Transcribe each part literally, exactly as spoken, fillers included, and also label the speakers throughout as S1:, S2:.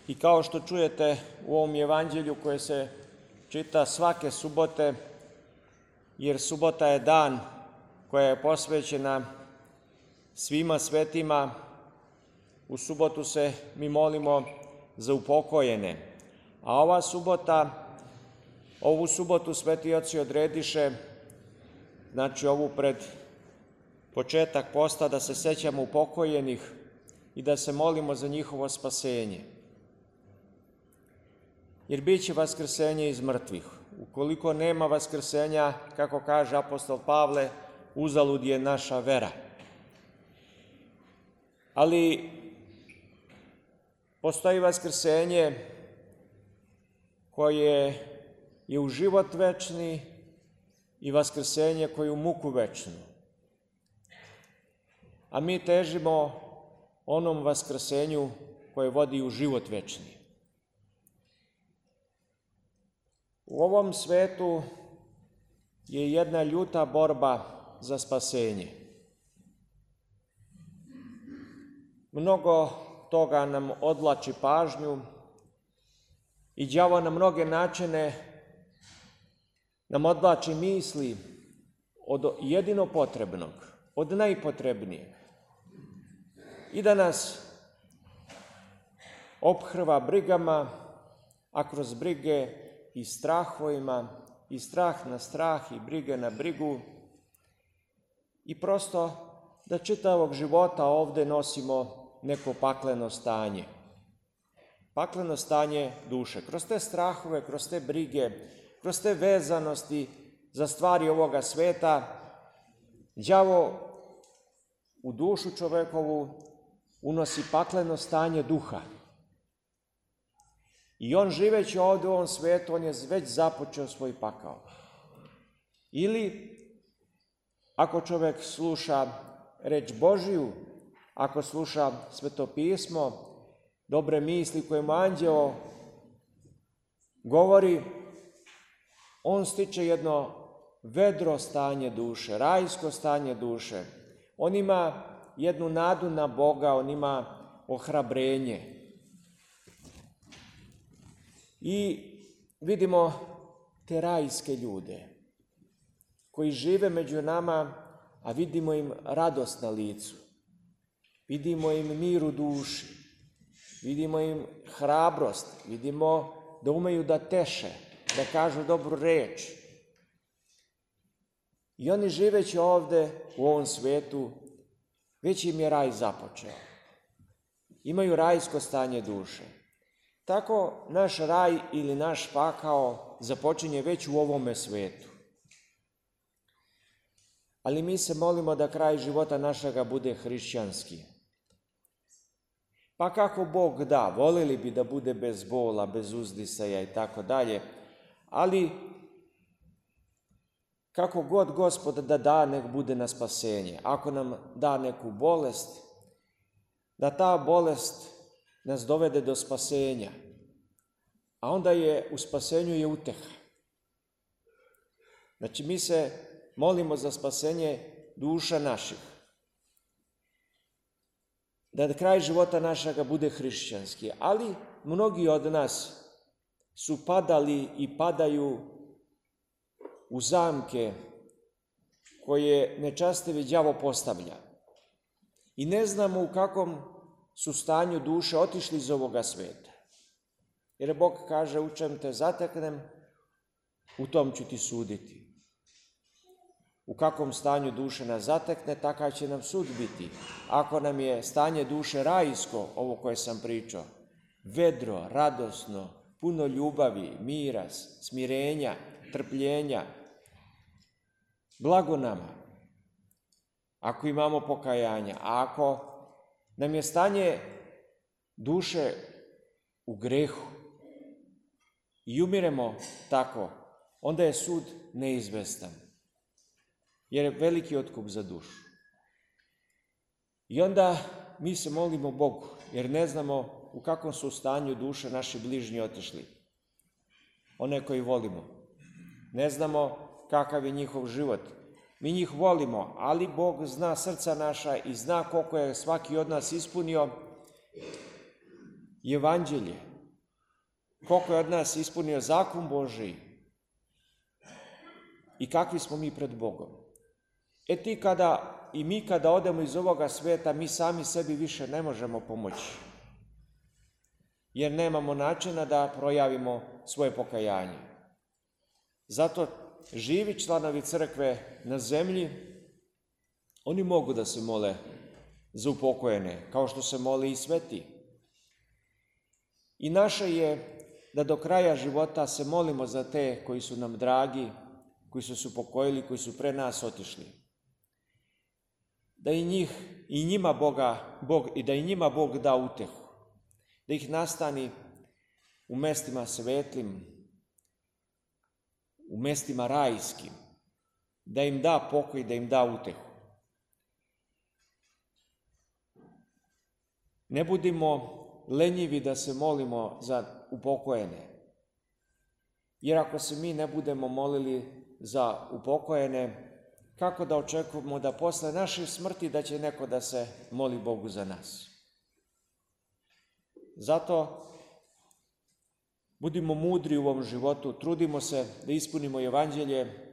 S1: I kao što čujete u ovom evanđelju koje se čita svake subote, jer subota je dan koja je posvećena svima svetima, u subotu se mi molimo za upokojene. A ova subota, ovu subotu sveti oci odrediše, znači ovu pred početak posta, da se sećamo upokojenih i da se molimo za njihovo spasenje. Jer bit će vaskrsenje iz mrtvih. Ukoliko nema vaskrsenja, kako kaže apostol Pavle, uzalud je naša vera. Ali postoji vaskrsenje koje je u život večni i vaskrsenje koje je u muku večnu. A mi težimo onom vaskrsenju koje vodi u život večni. U ovom svetu je jedna ljuta borba za spasenje. Mnogo toga nam odvlači pažnju i đavo na mnoge načine nam odvlači misli od jedino potrebnog, od najpotrebnijeg. I da nas ophrva brigama, a kroz brige i strahovima, i strah na strah, i brige na brigu, i prosto da čitavog života ovde nosimo neko pakleno stanje. Pakleno stanje duše. Kroz te strahove, kroz te brige, kroz te vezanosti za stvari ovoga sveta, đavo u dušu čovekovu unosi pakleno stanje duha. I on živeći ovde u ovom svetu, on je već započeo svoj pakao. Ili, ako čovek sluša reč Božiju, ako sluša Sveto pismo, dobre misli koje mu anđeo govori, on stiče jedno vedro stanje duše, rajsko stanje duše. On ima jednu nadu na Boga, on ima ohrabrenje. I vidimo te rajske ljude koji žive među nama, a vidimo im radost na licu. Vidimo im mir u duši, vidimo im hrabrost, vidimo da umeju da teše, da kažu dobru reč. I oni živeći ovde u ovom svetu, već im je raj započeo. Imaju rajsko stanje duše. Tako naš raj ili naš pakao započinje već u ovome svetu. Ali mi se molimo da kraj života našega bude hrišćanski. Pa kako Bog da, voleli bi da bude bez bola, bez uzdisaja i tako dalje, ali kako god Gospod da da, nek bude na spasenje. Ako nam da neku bolest, da ta bolest nas dovede do spasenja, a onda je u spasenju je uteha. Znači mi se molimo za spasenje duša naših. Da kraj života našega bude hrišćanski, ali mnogi od nas su padali i padaju u zamke koje nečastivi đavo postavlja. I ne znamo u kakvom su stanju duše otišli iz ovoga sveta. Jer Bog kaže, u čem te zateknem, u tom ću ti suditi. U kakvom stanju duše nas zatekne, takav će nam sud biti. Ako nam je stanje duše rajsko, ovo koje sam pričao, vedro, radosno, puno ljubavi, mira, smirenja, trpljenja, blago nama. Ako imamo pokajanja, a ako nam je stanje duše u grehu i umiremo tako, onda je sud neizvestan, jer je veliki otkup za dušu. I onda mi se molimo Bogu, jer ne znamo u kakvom su stanju duše naši bližnji otišli. One koji volimo. Ne znamo kakav je njihov život. Mi njih volimo, ali Bog zna srca naša i zna koliko je svaki od nas ispunio evanđelje, koliko je od nas ispunio zakon Božiji i kakvi smo mi pred Bogom. E ti kada i mi kada odemo iz ovoga sveta, mi sami sebi više ne možemo pomoći, jer nemamo načina da projavimo svoje pokajanje. Zato živi članovi crkve na zemlji, oni mogu da se mole za upokojene, kao što se moli i sveti. I naše je da do kraja života se molimo za te koji su nam dragi, koji su se upokojili, koji su pre nas otišli. Da i njih, i njima Boga, Bog, i da i njima Bog da utehu, da ih nastani u mestima svetlim, u mestima rajskim, da im da pokoj, da im da utehu. Ne budimo lenjivi da se molimo za upokojene, jer ako se mi ne budemo molili za upokojene, kako da očekujemo da posle naše smrti da će neko da se moli Bogu za nas? Zato budimo mudri u ovom životu, trudimo se da ispunimo evanđelje,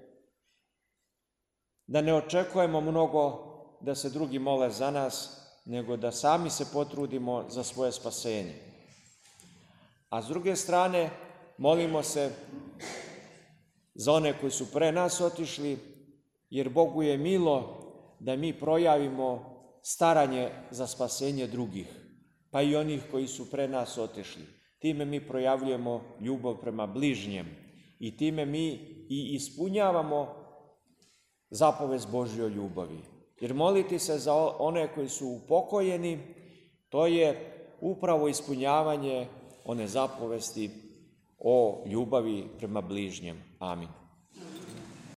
S1: da ne očekujemo mnogo da se drugi mole za nas, nego da sami se potrudimo za svoje spasenje. A s druge strane, molimo se za one koji su pre nas otišli, jer Bogu je milo da mi projavimo staranje za spasenje drugih, pa i onih koji su pre nas otišli. Time mi projavljujemo ljubav prema bližnjem i time mi i ispunjavamo zapovest Božjoj ljubavi. Jer moliti se za one koji su upokojeni, to je upravo ispunjavanje one zapovesti o ljubavi prema bližnjem. Amin.